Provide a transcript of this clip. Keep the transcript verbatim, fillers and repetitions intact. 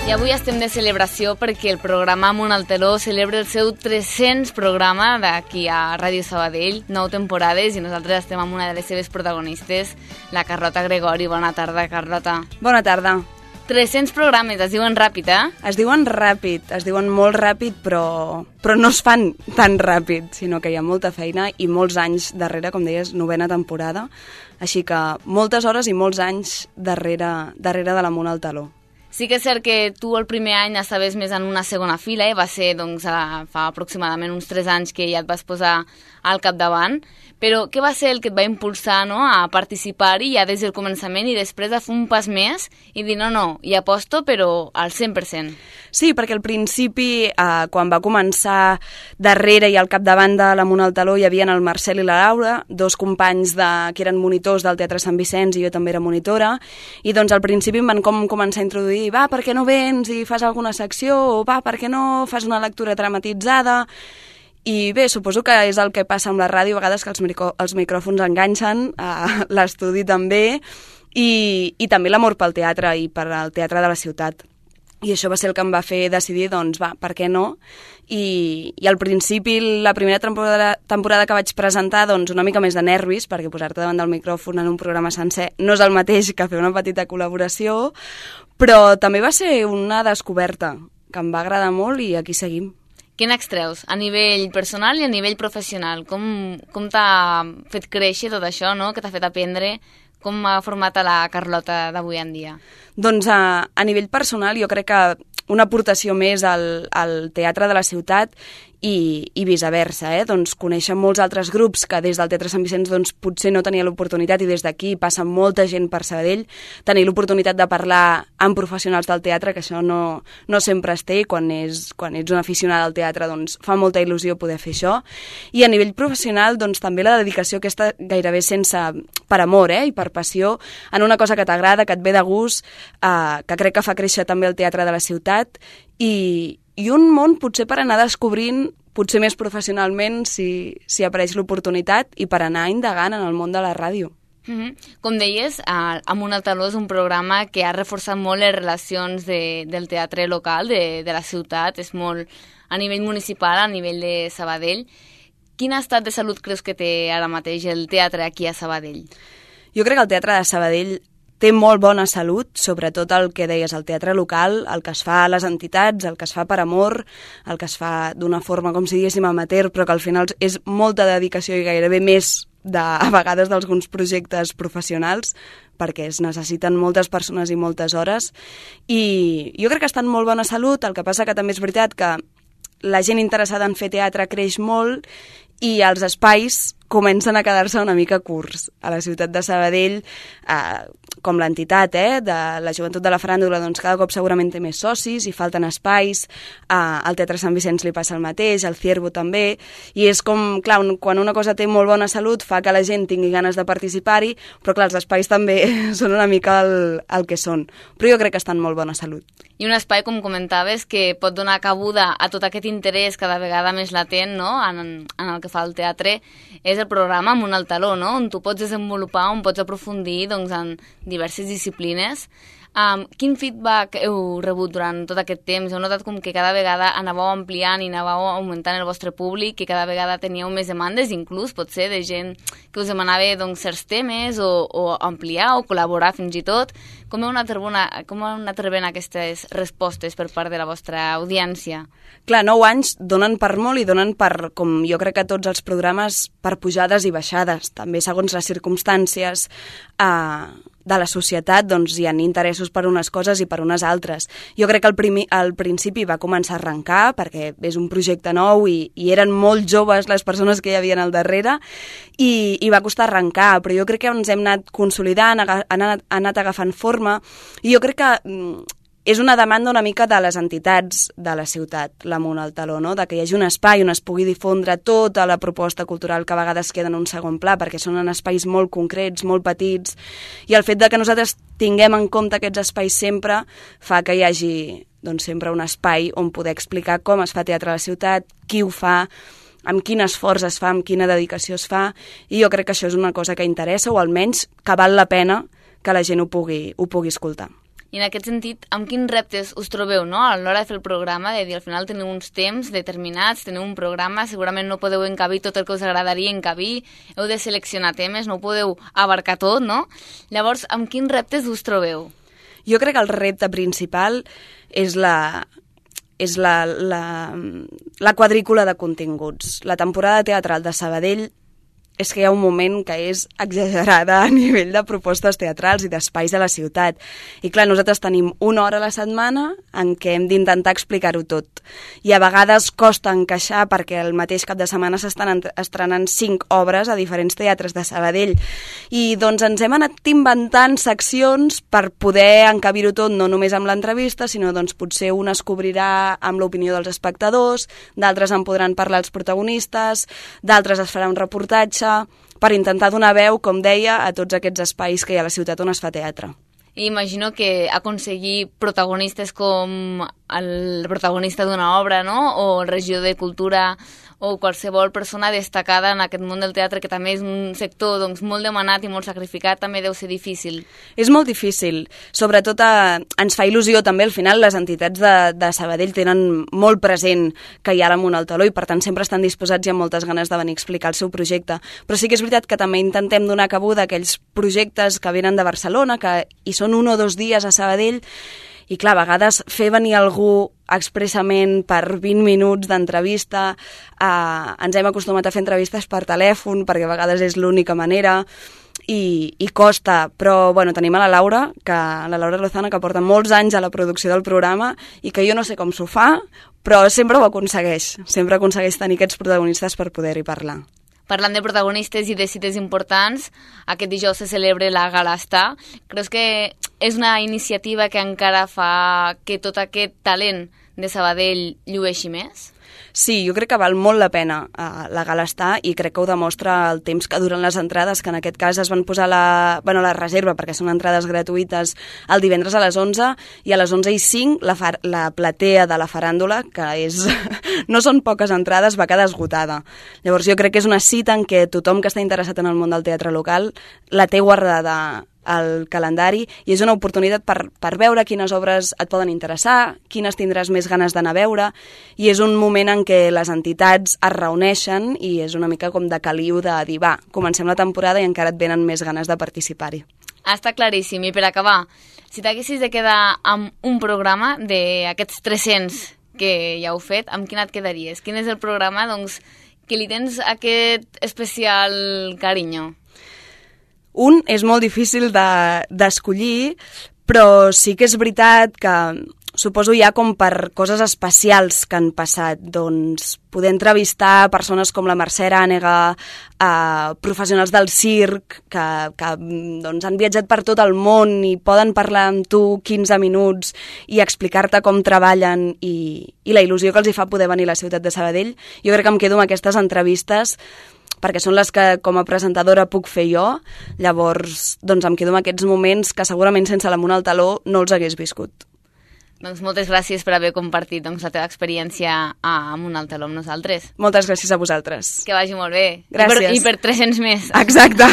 I avui estem de celebració perquè el programa Amunt al Teló celebra el seu tres-cents programa d'aquí a Ràdio Sabadell, nou temporades, i nosaltres estem amb una de les seves protagonistes, la Carlota Gregori. Bona tarda, Carlota. Bona tarda. tres-cents programes, es diuen ràpid, eh? Es diuen ràpid, es diuen molt ràpid, però, però no es fan tan ràpid, sinó que hi ha molta feina i molts anys darrere, com deies, novena temporada, així que moltes hores i molts anys darrere, darrere de l'Amunt al Teló. Sí que és cert que tu el primer any estaves més en una segona fila, eh? Va ser doncs, a, fa aproximadament uns tres anys que ja et vas posar al capdavant, però què va ser el que et va impulsar, no?, a participar-hi ja des del començament i després a fer un pas més i dir no, no, hi aposto però al cent per cent? Sí, perquè al principi, eh, quan va començar darrere i al capdavant de l'Amunt al Teló hi havia el Marcel i la Laura, dos companys de, que eren monitors del Teatre Sant Vicenç i jo també era monitora, i doncs al principi em van com començar a introduir va, per què no vens i fas alguna secció, o va, per què no fas una lectura dramatitzada. I bé, suposo que és el que passa amb la ràdio, a vegades que els, micro, els micròfons enganxen, a l'estudi també, i, i també l'amor pel teatre i per al teatre de la ciutat. I això va ser el que em va fer decidir, doncs va, per què no? I, i al principi, la primera temporada, temporada que vaig presentar, doncs una mica més de nervis, perquè posar-te davant del micròfon en un programa sencer no és el mateix que fer una petita col·laboració, però també va ser una descoberta que em va agradar molt i aquí seguim. Què n'extreus a nivell personal i a nivell professional? Com, com t'ha fet créixer tot això, no?, que t'ha fet aprendre? Com ha format a la Carlota d'avui en dia? Doncs a, a nivell personal jo crec que una aportació més al, al teatre de la ciutat i, i viceversa, eh? Doncs conèixer molts altres grups que des del Teatre Sant Vicenç doncs, potser no tenia l'oportunitat i des d'aquí passa molta gent per Sabadell, tenir l'oportunitat de parlar amb professionals del teatre, que això no, no sempre es té, i quan, és, quan ets un aficionat al teatre doncs, fa molta il·lusió poder fer això. I a nivell professional doncs, també la dedicació aquesta gairebé sense, per amor eh? I per passió, en una cosa que t'agrada, que et ve de gust, eh, que crec que fa créixer també el teatre de la ciutat, i, i un món potser per anar descobrint, potser més professionalment si, si apareix l'oportunitat, i per anar indagant en el món de la ràdio. Mm-hmm. Com deies, Amunt al Teló és un programa que ha reforçat molt les relacions de, del teatre local, de, de la ciutat, és molt a nivell municipal, a nivell de Sabadell. Quin estat de salut creus que té ara mateix el teatre aquí a Sabadell? Jo crec que el teatre de Sabadell té molt bona salut, sobretot el que deies, el teatre local, el que es fa a les entitats, el que es fa per amor, el que es fa d'una forma, com si diguéssim, amateur, però que al final és molta dedicació i gairebé més de, a vegades d'alguns projectes professionals, perquè es necessiten moltes persones i moltes hores, i jo crec que està en molt bona salut. El que passa que també és veritat que la gent interessada en fer teatre creix molt i els espais comencen a quedar-se una mica curts. A la ciutat de Sabadell, eh, com l'entitat eh, de la joventut de la faràndula, doncs cada cop segurament té més socis i falten espais. Eh, al Teatre Sant Vicenç li passa el mateix, al Ciervo també, i és com, clar, un, quan una cosa té molt bona salut fa que la gent tingui ganes de participar-hi, però clar, els espais també són una mica el, el que són. Però jo crec que està en molt bona salut. I un espai, com comentaves, que pot donar cabuda a tot aquest interès cada vegada més latent, no?, en, en el que fa el teatre, és el programa Amunt al Teló, no?, on tu pots desenvolupar, on pots aprofundir doncs, en diverses disciplines. Um, quin feedback heu rebut durant tot aquest temps? Heu notat com que cada vegada anàveu ampliant i anàveu augmentant el vostre públic, que cada vegada teníeu més demandes, inclús potser de gent que us demanava doncs, certs temes o, o ampliar o col·laborar fins i tot. Com heu anat rebent, com heu anat rebent aquestes respostes per part de la vostra audiència? Clar, nou anys donen per molt i donen per, com jo crec que tots els programes, per pujades i baixades. També segons les circumstàncies eh, de la societat doncs, hi ha interessos per unes coses i per unes altres. Jo crec que al, primi, al principi va començar a arrencar perquè és un projecte nou i, i eren molt joves les persones que hi havia al darrere i, i va costar arrencar, però jo crec que ens hem anat consolidant, han anat, han anat agafant forma i jo crec que mm, és una demanda una mica de les entitats de la ciutat, l'Amunt al Teló, no? De que hi hagi un espai on es pugui difondre tota la proposta cultural que a vegades queda en un segon pla, perquè són en espais molt concrets, molt petits, i el fet de que nosaltres tinguem en compte aquests espais sempre fa que hi hagi doncs, sempre un espai on poder explicar com es fa teatre a la ciutat, qui ho fa, amb quin esforç es fa, amb quina dedicació es fa, i jo crec que això és una cosa que interessa, o almenys que val la pena que la gent ho pugui, ho pugui escoltar. I en aquest sentit, amb quins reptes us trobeu, no?, a l'hora de fer el programa, de dir, al final teniu uns temps determinats, teniu un programa, segurament no podeu encabir tot el que us agradaria encabir, heu de seleccionar temes, no ho podeu abarcar tot, no? Llavors, amb quins reptes us trobeu? Jo crec que el repte principal és la... és la, la, la quadrícula de continguts. La temporada teatral de Sabadell és que hi ha un moment que és exagerada a nivell de propostes teatrals i d'espais de la ciutat. I clar, nosaltres tenim una hora a la setmana en què hem d'intentar explicar-ho tot. I a vegades costa encaixar perquè el mateix cap de setmana s'estan estrenant cinc obres a diferents teatres de Sabadell. I doncs ens hem anat inventant seccions per poder encabir-ho tot, no només amb l'entrevista, sinó doncs potser una es cobrirà amb l'opinió dels espectadors, d'altres en podran parlar els protagonistes, d'altres es farà un reportatge, per intentar donar veu, com deia, a tots aquests espais que hi ha a la ciutat on es fa teatre. I imagino que aconseguir protagonistes com el protagonista d'una obra, no?, o el regidor de Cultura, o qualsevol persona destacada en aquest món del teatre, que també és un sector doncs, molt demanat i molt sacrificat, també deu ser difícil. És molt difícil. Sobretot eh, ens fa il·lusió també, al final, les entitats de, de Sabadell tenen molt present que hi ha l'Amunt al Taló i per tant sempre estan disposats i amb moltes ganes de venir a explicar el seu projecte. Però sí que és veritat que també intentem donar cabuda a aquells projectes que venen de Barcelona, que hi són un o dos dies a Sabadell. I clar, a vegades fer venir algú expressament per vint minuts d'entrevista, eh, ens hem acostumat a fer entrevistes per telèfon, perquè a vegades és l'única manera, i, i costa, però bueno, tenim a la Laura, que, la Laura Lozana, que porta molts anys a la producció del programa, i que jo no sé com s'ho fa, però sempre ho aconsegueix, sempre aconsegueix tenir aquests protagonistes per poder-hi parlar. Parlant de protagonistes i de cites importants, aquest dijous se celebra la Gala Estar. Creus que és una iniciativa que encara fa que tot aquest talent de Sabadell llueixi més? Sí, jo crec que val molt la pena uh, la Gala Estar i crec que ho demostra el temps que duren les entrades, que en aquest cas es van posar la, bueno, la reserva, perquè són entrades gratuïtes, el divendres a les onze i a les onze i cinc la, far, la platea de la faràndula, que és no són poques entrades, va quedar esgotada. Llavors jo crec que és una cita en què tothom que està interessat en el món del teatre local la té guardada al calendari i és una oportunitat per, per veure quines obres et poden interessar, quines tindràs més ganes d'anar a veure, i és un moment en què les entitats es reuneixen i és una mica com de caliu de dir, va, comencem la temporada i encara et venen més ganes de participar-hi. Està claríssim. I per acabar, si t'haguessis de quedar amb un programa d'aquests tres-cents que ja heu fet, amb quin et quedaries? Quin és el programa doncs, que li tens aquest especial carinyo? Un és molt difícil d'escollir, de, però sí que és veritat que suposo ja com per coses especials que han passat, doncs poder entrevistar persones com la Mercè Arànega, eh, professionals del circ que, que doncs, han viatjat per tot el món i poden parlar amb tu quinze minuts i explicar-te com treballen i, i la il·lusió que els hi fa poder venir a la ciutat de Sabadell. Jo crec que em quedo amb aquestes entrevistes perquè són les que com a presentadora puc fer jo, llavors doncs em quedo amb aquests moments que segurament sense l'Amunt al Taló no els hagués viscut. Doncs moltes gràcies per haver compartit doncs, la teva experiència a Amunt al Taló amb nosaltres. Moltes gràcies a vosaltres. Que vagi molt bé. Gràcies. I per, i per tres-cents més. Exacte.